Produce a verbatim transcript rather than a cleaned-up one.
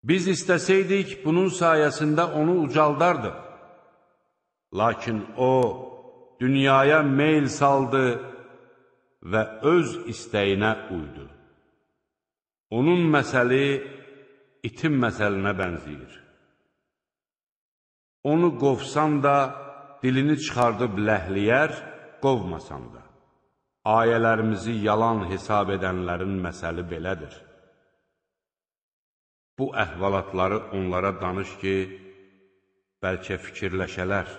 Biz istəsəydik, bunun sayəsində onu ucaldardıq. Lakin o, dünyaya meyl saldı və öz istəyinə uydu. Onun məsəli itin məsəlinə bənzəyir. Onu qovsan da, dilini çıxardıb ləhləyər, qovmasan da. Ayələrimizi yalan hesab edənlərin məsəli belədir. Bu əhvalatları onlara danış ki, bəlkə fikirləşələr.